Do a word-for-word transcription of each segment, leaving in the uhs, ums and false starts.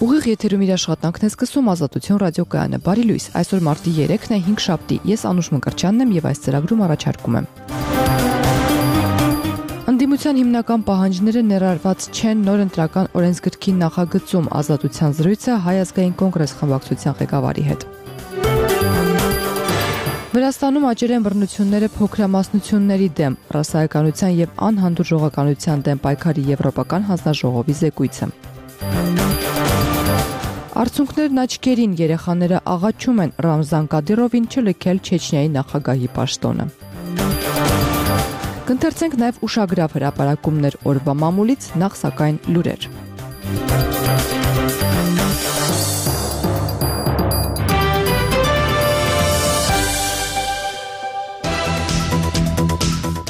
Ուղիղ եթերում իր աշխատանքն է սկսում Ազատություն ռադիոկայանը։ Բարի լույս, այսօր մարտի երեքն է, հինգշաբթի։ Ես Անուշ Մկրտչյանն եմ եւ այս ծրագրում առաջարկում եմ։ Ընդդիմության հիմնական պահանջները ներառված չեն նոր ընտրական օրենսգրքի նախագծում, Ազատության զրույցը Հայ ազգային կոնգրես խմբակցության ղեկավարի հետ։ Վրաստանում աճել են բռնությունները փոքրամասնությունների դեմ, ռասայականության եւ անհանդուրժողականության դեմ պայքարի եվրոպական հանձնաժողովի զեկույցը։ Արդյունքներն աչքերին, երեխաները աղաչում են Ռամզան Կադիրովին չլքել Չեչնիայի նախագահի պաշտոնը։ Կընթերցենք նաև ուշագրավ հրապարակումներ օրվա մամուլից, նախ սակայն լուրեր։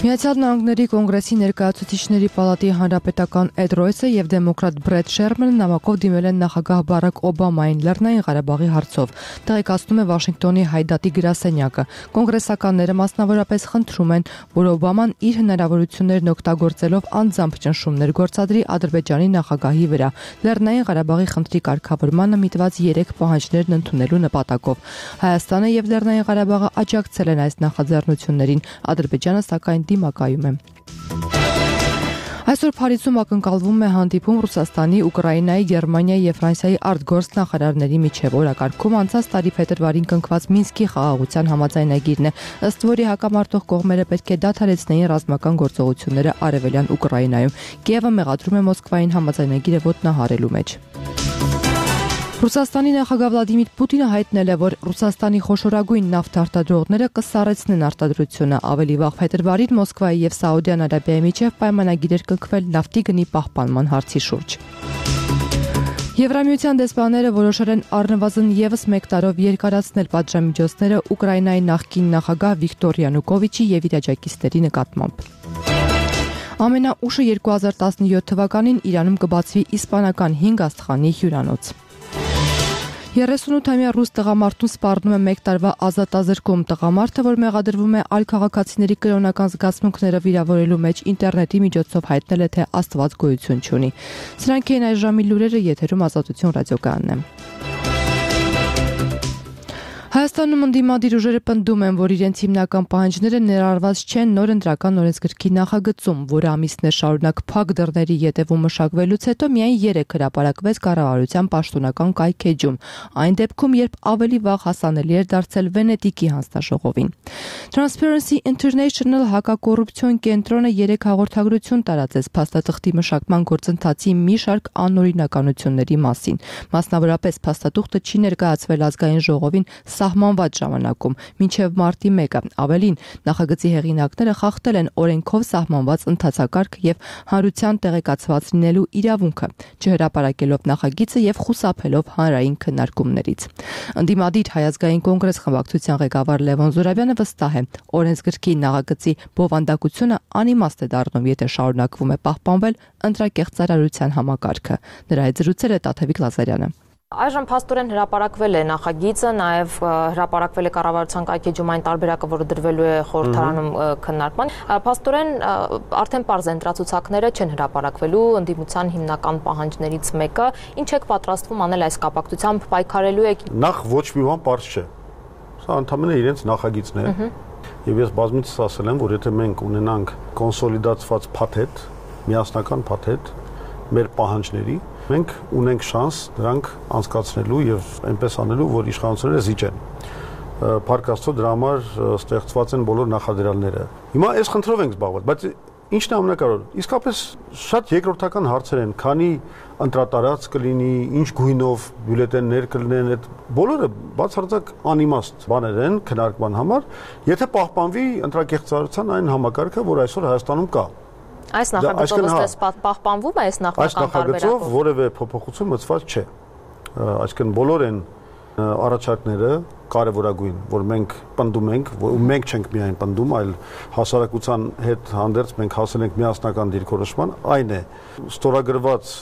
Միացյալ Նահանգների կոնգրեսի ներկայացուցիչների պալատի հանրապետական Էդ Ռոյսը եւ դեմոկրատ Բրեդ Շերմանը նամակով դիմել են նախագահ Բարակ Օբամային Լեռնային Ղարաբաղի հարցով, տեղեկացնում է Վաշինգտոնի Հայդատի գրասենյակը։ Կոնգրեսականները մասնավորապես խնդրում են, որ Օբաման իր հնարավորություններն օգտագործելով անձամբ ճնշումներ գործադրի Ադրբեջանի նախագահի վրա Լեռնային Ղարաբաղի խնդրի կարգավորմանը միտված երեք պահանջներն ընդունելու նպատակով։ Հայաստանը եւ Լեռնային Ղարաբաղը աջակցել են այս նախաձեռնություններին, Ադրբեջանը սակայն դիմակայում է։ Այսօր Փարիզում ակնկալվում է հանդիպում Ռուսաստանի, Ուկրաինայի, Գերմանիայի եւ Ֆրանսիայի արտգործ նախարարների միջև։ Օրակարգում անցած տարի փետրվարին կնքված Մինսկի խաղաղության համաձայնագիրն է, ըստ որի հակամարտող կողմերը պետք է դադարեցնեին ռազմական գործողությունները արևելյան Ուկրաինայում։ Կիևը մեղադրում է Մոսկվային համաձայնագիրը ոտնահարելու մեջ։ Ռուսաստանի նախագահ Վլադիմիր Պուտինը հայտնել է, որ Ռուսաստանի խոշորագույն նավթ արտադրողները կսառեցնեն արտադրությունը։ Ավելի վաղ փետրվարին Մոսկվայի եւ Սաուդյան Արաբիայի միջև պայմանագիր էր կնքվել նավթի գնի պահպանման հարցի շուրջ։ Եվրամիության դեսպանները որոշել են առնվազն եւս մեկ տարով երկարացնել պատժամիջոցները Ուկրաինայի նախկին նախագահ Վիկտոր Յանուկովիչի եւ իր աջակիցների նկատմամբ։ Ամենաուշը երկու հազար տասնյոթ թվականին Իրանում կբացվի իսպանական հինգ աստղանի հյուրանոց։ երեսունութամյա ռուս տղամարդուն սպառնում է մեկ տարվա ազատազրկում։ Տղամարդը, որ մեղադրվում է այլ քաղաքացիների կրոնական զգացմունքները վիրավորելու մեջ, ինտերնետի միջոցով հայտնել է, թե Աստված գոյություն չունի։ Սրանք են այս ժամի լուրերը, եթերում Ազատություն ռադիոկայանն է։ Հայաստանում ընդդիմադիր ուժերը պնդում են, որ իրենց հիմնական պահանջները ներառված չեն նոր ընտրական օրենսգրքի նախագծում, որը ամիսներ շարունակ փակ դռների ետևում մշակվելուց հետո միայն երեք հրապարակվեց կառավարության պաշտոնական կայքեջում, այն դեպքում, երբ ավելի վաղ հասանելի էր դարձել Վենետիկի հանձնաժողովին։ Transparency International հակակոռուպցիոն կենտրոնը երեք հաղորդագրություն տարածեց փաստաթղթի մշակման գործընթացի մի շարք անօրինականությունների մասին։ Մասնավորապես փաստաթուղթը չի ներկայացվել ազգային ժողովին սահմանված ժամանակում, մինչև մարտի մեկը։ Ավելին, նախագծի հեղինակները խախտել են օրենքով սահմանված ընթացակարգ եւ հանրության տեղեկացված լինելու իրավունքը, չհրապարակելով նախագիծը եւ խուսափելով հանրային քննարկումներից։ Ընդդիմադիր Հայ ազգային կոնգրես խմբակցության ղեկավար Լևոն Զուրաբյանը վստահ է, օրենսգրքի նախագծի բովանդակությունը անիմաստ է դառնում, եթե շարունակվում է պահպանվել ընտրակեղծարարության համակարգը։ Նրա հետ զրուցել է Տաթևիկ Լազարյանը։ Այժմ փաստորեն հրապարակվել է նախագիծը, նաև հրապարակվել է կառավարության կայքեջում այն տարբերակը, որը դրվելու է խորհրդարանում քննարկման։ Փաստորեն արդեն պարզ ընտրացուցակները չեն հրապարակվելու, ընդդիմության հիմնական պահանջներից մեկը, ինչ եք պատրաստվում անել այս կապակցությամբ, պայքարելու եք։ Նախ ոչ մի բան պարզ չէ։ Սա ընդհանրապես իրենց նախագիծն է։ Եվ ես բազմիցս ասել եմ, որ եթե մենք ունենանք կոնսոլիդացված փաթեթ, միասնական փաթեթ մեր պահանջների, մենք ունենք շանս դրանք անցկացնելու եւ այնպես անելու, որ իշխանությունները զիջեն։ Փառք Աստծո, դրա համար ստեղծված են բոլոր նախադրյալները։ Հիմա այս խնդրով ենք զբաղվել, բայց ինչն է ամենակարևորը։ Իսկապես շատ երկրորդական հարցեր են, քանի ընտրատարած կլինի, ինչ գույնով բյուլետեններ կլինեն, այդ բոլորը բացարձակ անիմաստ բաներ են քննարկման համար, եթե պահպանվի ընտրակեղծարարության այն համակարգը, որ այսօր Հայաստանում կա։ Այս նախագծով ըստ պահպանվում է այս նախնական տարբերակով։ Այս նախագծով որևէ փոփոխություն մտցված չէ։ Այսինքն բոլոր են առաջարկները կարևորագույն, որ մենք պնդում ենք, որ մենք չենք միայն պնդում, այլ հասարակության հետ հանդերձ մենք հասել ենք միասնական դիրքորոշման, այն է ստորագրված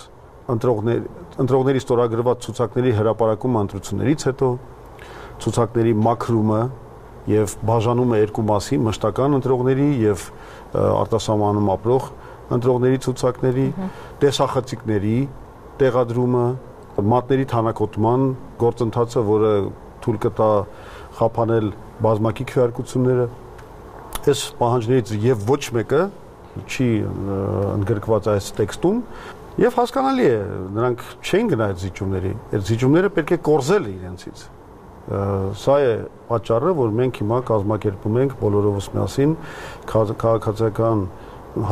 ընտրողների ընտրողների ստորագրված ցուցակների հրապարակումը ընտրություններից հետո, ցուցակների մաքրումը եւ բաժանումը երկու մասի, մշտական ընտրողների եւ արտասահմանում ապրող ընտրողների ցուցակների, տեսախցիկների տեղադրումը մատների թանաքոտման գործընթացը, որը թույլ կտա խափանել բազմակի քվեարկությունները, այս պահանջներից եւ ոչ մեկը չի ընդգրկված այս տեքստում եւ հասկանալի է, նրանք չեն գնա այդ զիջումների, այդ զիջումները պետք է կորզել իրենցից։ Սա է պատճառը, որ մենք հիմա կազմակերպում ենք բոլորովս միասին քաղաքացիական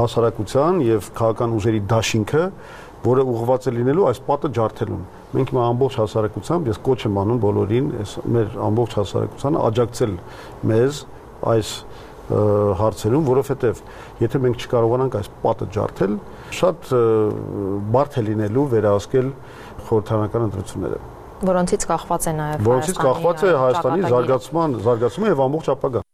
հասարակության եւ քաղաքական ուժերի դաշինքը, որը ուղղված է լինելու այս պատը ջարդելուն։ Մենք հիմա ամբողջ հասարակությամբ, ես կոչ եմ անում բոլորին, մեր ամբողջ հասարակությանը աջակցել մեզ այս հարցերում, որովհետեւ եթե մենք չկարողանանք այս պատը ջարդել, շատ բարդ է լինելու վերահսկել խորհրդարանական ընտրությունները, որոնցից կախված է նաեւ որոնցից կախված է Հայաստանի զարգացման, զարգացումը եւ ամբողջ ապագա։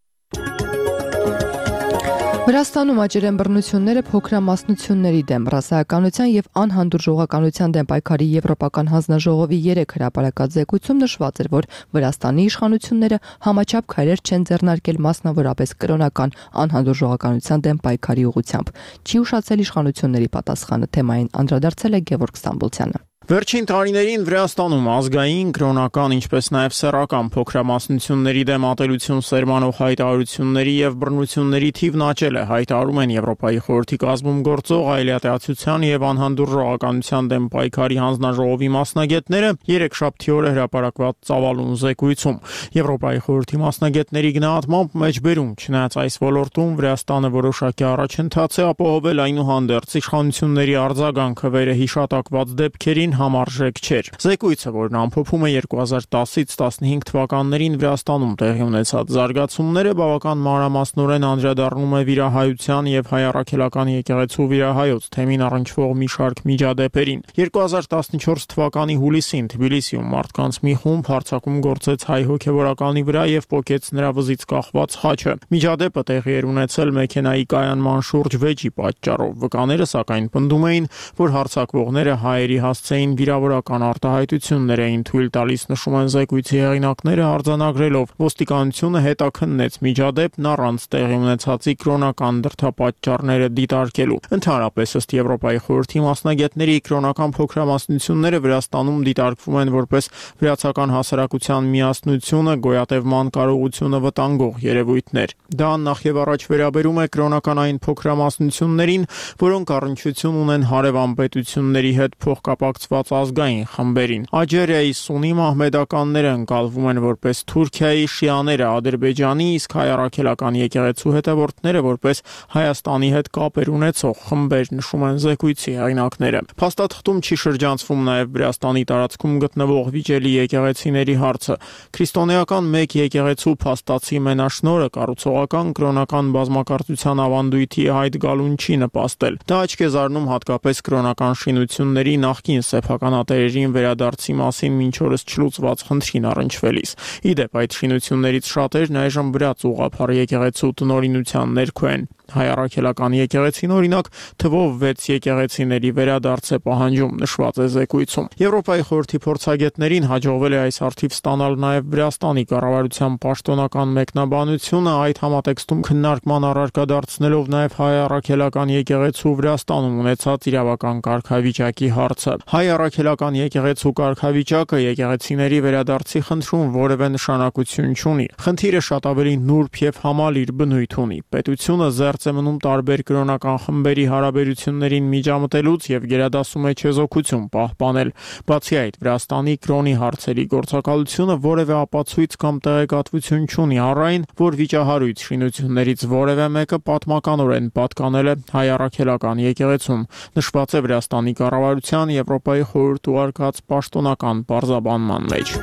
Վրաստանում աճել են բռնությունները փոքրամասնությունների դեմ, ռասայականության եւ անհանդուրժողականության դեմ պայքարի Եվրոպական հանձնաժողովի երեք հրապարակած զեկույցում նշված էր, որ Վրաստանի իշխանությունները համաչափ քայլեր չեն ձեռնարկել մասնավորապես կրոնական անհանդուրժողականության դեմ պայքարի ուղղությամբ։ Չի ուշացել իշխանությունների պատասխանը, թեմային անդրադարձել է Գևորգ Ստամբոլցյանը։ Վերջին տարիներին Վրաստանում ազգային, կրոնական, ինչպես նաև սեռական փոքրամասնությունների դեմ ատելություն սերմանող հայտարարությունների եւ բռնությունների թիվն աճել է, հայտարարում են Եվրոպայի խորհրդի կազմում գործող այլատիացության եւ անհանդուրժողականության դեմ պայքարի հանձնաժողովի մասնագետները երեքշաբթի օրը հրապարակված ծավալուն զեկույցում։ Եվրոպայի խորհրդի մասնագետների գնահատմամբ մեջբերում, չնայած այս ոլորտում Վրաստանը որոշակի առաջընթաց է ապահովել, այնուհանդերձ իշխանությունների արձագանքը վերահիշատակված դեպքերին համարժեք չէր։ Զեկույցը, որն ամփոփում է երկու հազար տասից տասնհինգ թվականներին Վրաստանում տեղի ունեցած զարգացումները, բավական մանրամասնորեն անդրադառնում է վիրահայության եւ հայ առաքելական եկեղեցու վիրահայոց թեմին առնչվող մի շարք միջադեպերին։ երկու հազար տասնչորս թվականի հուլիսին Թբիլիսիում մարդկանց մի խումբ հարձակում գործեց հայ հոգեվորականի վրա եւ պոկեց նրա վզից կախված խաչը։ Միջադեպը տեղի էր ունեցել մեքենայի կայանման շուրջ վեճի պատճառով։ Վկաները սակայն պնդում էին, որ հարձակվողները հայերի հասցեին վիրավորական արտահայտություններ էին թույլ տալիս, նշում են զեկույցի հեղինակները արձանագրելով։ Ոստիկանությունը հետաքննեց միջադեպն առանց տեղի ունեցածի կրոնական դրդապատճառները դիտարկելու։ Ընդհանրապես, ըստ Եվրոպայի խորհրդի մասնագետների, կրոնական փոքրամասնությունները Վրաստանում դիտարկվում են որպես վրացական հասարակության միասնությունը, գոյատևման կարողությունը վտանգող երևույթներ։ Դա նախ եւ առաջ վերաբերում է կրոնական այն փոքրամասնություններին, որոնք առնչություն ունեն հարևան պետությունների հետ փոխկապակցված ազգային խմբերին։ Աջերիայի սուննի մահմեդականները ընկալվում են որպես Թուրքիայի շիաները, Ադրբեջանի, իսկ հայ առաքելական եկեղեցու հետևորդները որպես Հայաստանի հետ կապեր ունեցող խմբեր, նշում են զեկույցի հեղինակները։ Փաստաթղթում չի շրջանցվում նաև Վրաստանի տարածքում գտնվող վիճելի եկեղեցիների հարցը։ Քրիստոնեական մեկ եկեղեցու փաստացի մենաշնորհը կառուցողական կրոնական բազմակարծության ավանդույթի հայտ գալուն չի նպաստել։ Դա աչք է զարնում հատկապես կրոնական շինությունների նախկին սեփականատերերին վերադարձի մասին մինչ օրս չլուծված խնդրին առնչվելիս։ Ի դեպ, այդ շինություններից շատերն այժմ վրաց ուղղափառ եկեղեցու տնօրինության ներքո են։ Հայ առաքելական եկեղեցին օրինակ թվով վեց եկեղեցիների վերադարձ է պահանջում, նշված է զեկույցում։ Եվրոպայի խորհրդի փորձագետներին հաջողվել է այս արդիվ ստանալ նաև Վրաստանի կառավարության պաշտոնական մեկնաբանությունը, այդ համատեքստում քննարկման առարկա դարձնելով նաև հայ առաքելական եկեղեցու Վրաստանում ունեցած իրավական կարգավիճակի հարցը։ Հայ առաքելական եկեղեցու կարգավիճակը եկեղեցիների վերադարձի խնդրում որևէ նշանակություն չունի։ Խնդիրը շատ ավելի նուրբ եւ համալիր բնույթ ունի։ Պետությունը զերծ է մնում տարբեր կրոնական խմբերի հարաբերություններին միջամտելուց եւ գերադասում է չեզոքություն պահպանել։ Բացի այդ, Վրաստանի կրոնի հարցերի գործակալությունը որևէ ապացույց կամ տեղեկատվություն չունի առ այն, որ վիճահարույց շինություններից որևէ մեկը պատմականորեն պատկանել է հայ առաքելական եկեղեցում, նշված է Վրաստանի կառավարության Եվրոպայի խորհուրդ ուղարկած պաշտոնական պարզաբանման մեջ։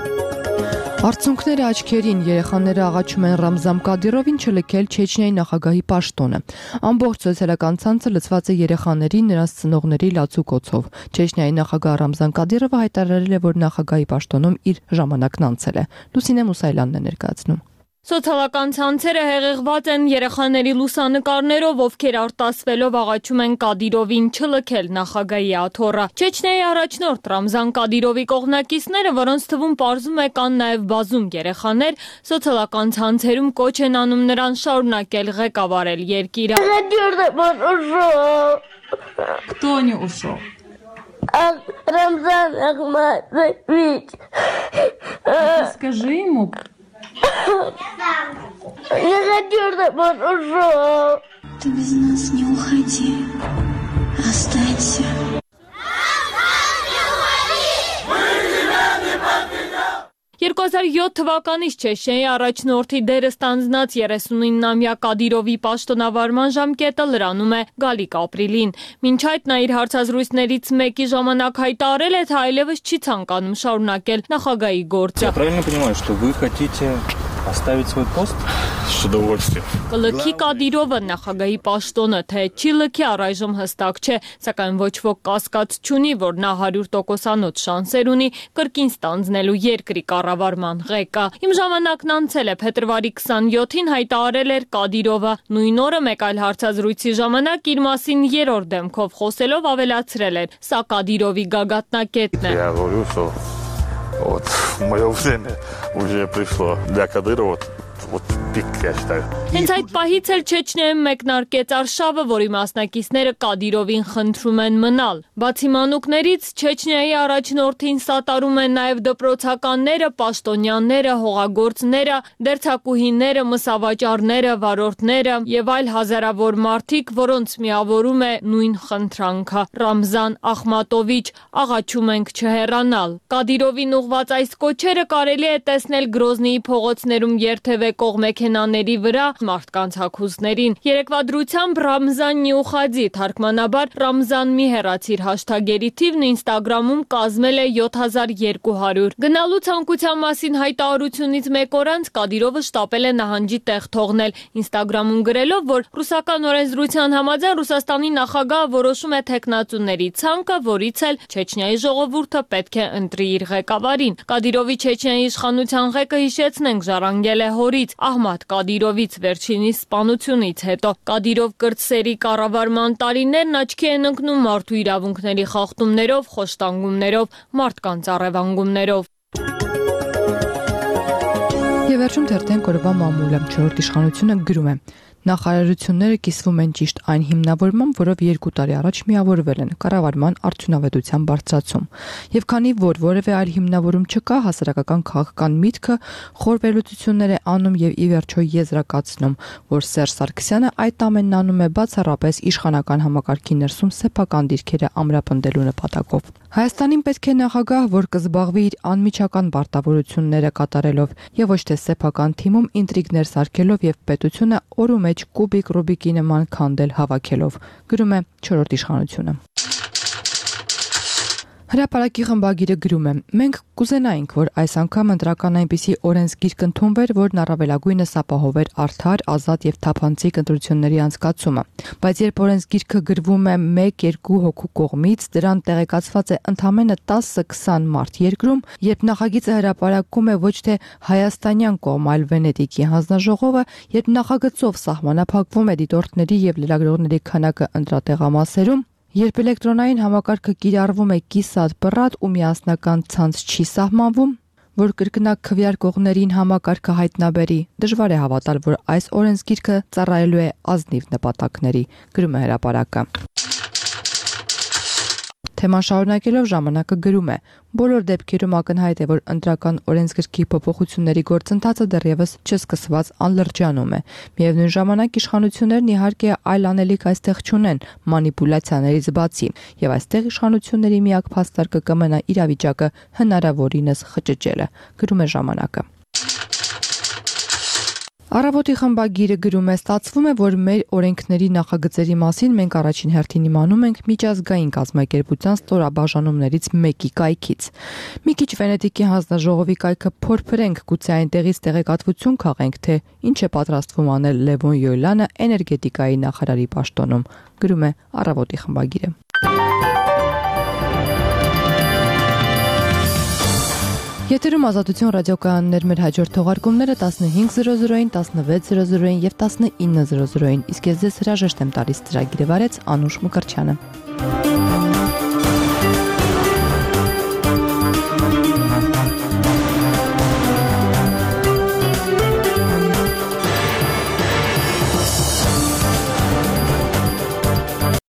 Արդյունքները աչքերին, երեխաները աղաչում են Ռամզան Կադիրովին չլքել Չեչնիայի նախագահի պաշտոնը։ Ամբողջ սոցիալական ցանցը լցված է երեխաների, նրանց ծնողների լացուկոցով։ Չեչնիայի նախագահ Ռամզան Կադիրովը հայտարարել է, որ նախագահի պաշտոնում իր ժամանակն անցել է։ Լուսինե Մուսայելյանն է ներկայացնում։ Սոցիալական ցանցերը հեղեղված են երեխաների լուսանկարներով, ովքեր արտասվելով աղաչում են Կադիրովին չլքել նախագահի աթոռը։ Չեչնիայի առաջնորդ Ռամզան Կադիրովի կողմնակիցները, որոնց թվում պարզում է կան նաև բազում երեխաներ, սոցիալական ցանցերում կոչ են անում նրան շարունակել ղեկավարել երկիրը։ Кто не ушел? Рамзан Ахматович. Скажи ему. Я хочу, чтобы он ушел. Ты без нас не уходи. Останься. երկու հազար յոթ թվականից Չեչնիայի առաջնորդի դերը ստանձնած երեսունինամյա Կադիրովի պաշտոնավարման ժամկետը լրանում է գալիք ապրիլին։ Մինչ այդ նա իր հարցազրույցներից մեկի ժամանակ հայտարարել է, թե այլևս չի ցանկանում շարունակել նախագահի գործը։ Я правильно понимаю, что вы хотите оставить свой пост? С удовольствием. Կլքի Կադիրովը նախագահի պաշտոնը, թե չի լքի առայժմ հստակ չէ, սակայն ոչ ոք կասկած չունի, որ նա հարյուր տոկոսանոց շանսեր ունի կրկին ստանձնելու երկրի կառավարման ղեկը։ Իմ ժամանակն անցել է, փետրվարի քսանյոթին հայտարարել էր Կադիրովը, նույն օրը մեկ այլ հարցազրույցի ժամանակ իր մասին երրորդ դեմքով խոսելով ավելացրել էր. Սա Կադիրովի գագաթնակետն է։ Я говорю, что вот мое время уже пришло для Кадырова. Вот пик, я считаю. Հենց այդ պահից էլ Չեչնիայում մեկնարկեց արշավը, որի մասնակիցները Կադիրովին խնդրում են մնալ։ Բացի մանուկներից, Չեչնիայի առաջնորդին սատարում են նաև դպրոցականները, պաշտոնյաները, հողագործները, դերձակուհիները, մսավաճառները, վարորդները եւ այլ հազարավոր մարդիկ, որոնց միավորում է նույն խնդրանքը։ Ռամզան Ախմատովիչ, աղաչում ենք չհեռանալ։ Կադիրովին ուղված այս կոչերը կարելի է տեսնել Գրոզնիի փողոցներում երթևեկող մեքենաների վրա մարդկանց հագուստներին։ Երեկվա դրությամբ Ռամզան Նյուխադի թարգմանաբար Ռամզան մի հեռացիր հաշթագերի թիվն Ինստագրամում կազմել է յոթ հազար երկու հարյուր։ Գնալու ցանկության մասին հայտարարությունից մեկ օր անց Կադիրովը շտապել է նահանջի տեղ թողնել, Ինստագրամում գրելով, որ ռուսական օրենսդրության համաձայն Ռուսաստանի նախագահը որոշում է թեկնածուների ցանկը, որից էլ Չեչնիայի ժողովուրդը պետք է ընտրի իր ղեկավարին։ Կադիրովի Չեչնիայի իշխանության ղեկը, հիշեցնենք, ժառանգել է հորից Ահմադ Կադիրովից վերջինիս սպանությունից հետո։ Կադիրով կրտսերի կառավարման տարիներն աչքի են ընկնում մարդու իրավունքների խախտումներով, խոշտանգումներով, մարդկանց առևանգումներով։ Եվ վերջում թերթենք օրվա մամուլը, չորրորդ իշխանությունը գրում է. Նախարարությունները կիսվում են ճիշտ այն հիմնավորմամբ, որով երկու տարի առաջ միավորվել են կառավարման արդյունավետության բարձրացում։ Եվ քանի որ որևէ այլ հիմնավորում չկա, հասարակական քաղաքական միտքը խոր վերլուծություններ է անում եւ ի վերջո եզրակացնում, որ Սերժ Սարգսյանը այդ ամենն անում է բացառապես իշխանական համակարգի ներսում սեփական դիրքերը ամրապնդելու նպատակով։ Հայաստանին պետք է նախագահ, որ կզբաղվի իր անմիջական պարտավորությունները կատարելով եւ ոչ թե սեփական թիմում ինտրիգներ սարքելով եւ պետությունը օրու մեջ կուբիկ Ռուբիկի նման քանդել հավաքելով, գրում է չորրորդ իշխանությունը։ Հրապարակի խմբագիրը գրում է. մենք կուզենայինք, որ այս անգամ ընտրական այնպիսի օրենսգիրք ընդունվեր, որն առավելագույնս ապահովեր արդար, ազատ եւ թափանցիկ ընտրությունների անցկացումը։ Բայց երբ օրենսգիրքը գրվում է մեկ երկու հոգու կողմից, դրան տեղեկացված է ընդամենը տասը քսան մարդ երկրում, երբ նախագիծը հրապարակում է ոչ թե հայաստանյան կողմ, այլ Վենետիկի հանձնաժողովը, երբ նախագծով սահմանափակվում է դիտորդների եւ լրագրողների քանակը ընտրատեղամասերում, երբ էլեկտրոնային համակարգը կիրառվում է կիսատ-պռատ ու միասնական ցանց չի սահմանվում, որ կրկնակ քվեարկողներին համակարգը հայտնաբերի, դժվար է հավատալ, որ այս օրենսգիրքը ծառայելու է ազնիվ նպատակների, գրում է հրապարակը։ Թեման շարունակելով ժամանակը գրում է. բոլոր դեպքերում ակնհայտ է, որ ընտրական օրենսգրքի փոփոխությունների գործընթացը դեռևս չսկսված անլրջանում է։ Միևնույն ժամանակ իշխանություններն իհարկե այլ անելիք այստեղ չունեն մանիպուլյացիաներից բացի, եւ այստեղ իշխանությունների միակ փաստարկը կմնա իրավիճակը հնարավորինս խճճելը, գրում է ժամանակը։ Առավոտի խմբագիրը գրում է. ստացվում է, որ մեր օրենքների նախագծերի մասին մենք առաջին հերթին իմանում ենք միջազգային կազմակերպության ստորաբաժանումներից մեկի կայքից։ Մի քիչ Վենետիկի հանձնաժողովի կայքը փորփրենք, գուցե այնտեղից տեղեկատվություն քաղենք, թե ինչ է պատրաստվում անել Լևոն Յոյլանը էներգետիկայի նախարարի պաշտոնում, գրում է Առավոտի խմբագիրը։ Եթերում Ազատություն ռադիոկայաններ, մեր հաջորդ թողարկումները տասնհինգ զրո զրոին, տասնվեց զրո զրոին եւ տասնինը զրո զրոին, իսկ ես ձեզ հրաժեշտ եմ տալիս ծրագիրը վարեց Անուշ Մկրտչյանը։